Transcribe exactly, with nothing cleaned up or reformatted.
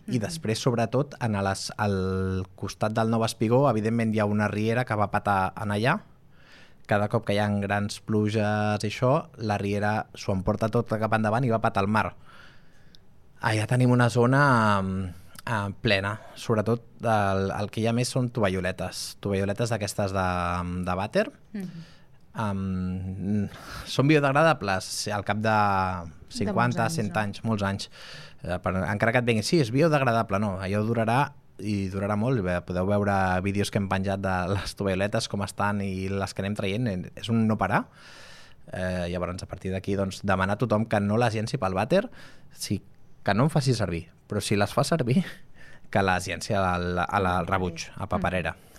I després, sobretot, en les, al costat del Nou Espigó, evidentment hi ha una riera que va patar en allà. Cada cop que hi ha grans pluges i això, la riera s'ho emporta tot cap endavant i va patar al mar. Allà tenim una zona eh, plena. Sobretot el, el que hi ha més són tovalloletes. Tovalloletes d'aquestes de, de vàter. Mm-hmm. um, són biodegradables al cap de cinquanta, cent anys, molts anys. Eh, per, encara que et vengui, sí, és biodegradable, no, allò durarà i durarà molt. Bé, podeu veure vídeos que hem penjat de les tovalloletes, com estan i les que anem traient, és un no parar. Eh, llavors, a partir d'aquí, doncs, demanar a tothom que no les llenci pel vàter, sí, que no en faci servir, però si les fa servir, que les llenci al, al rebuig, a paperera.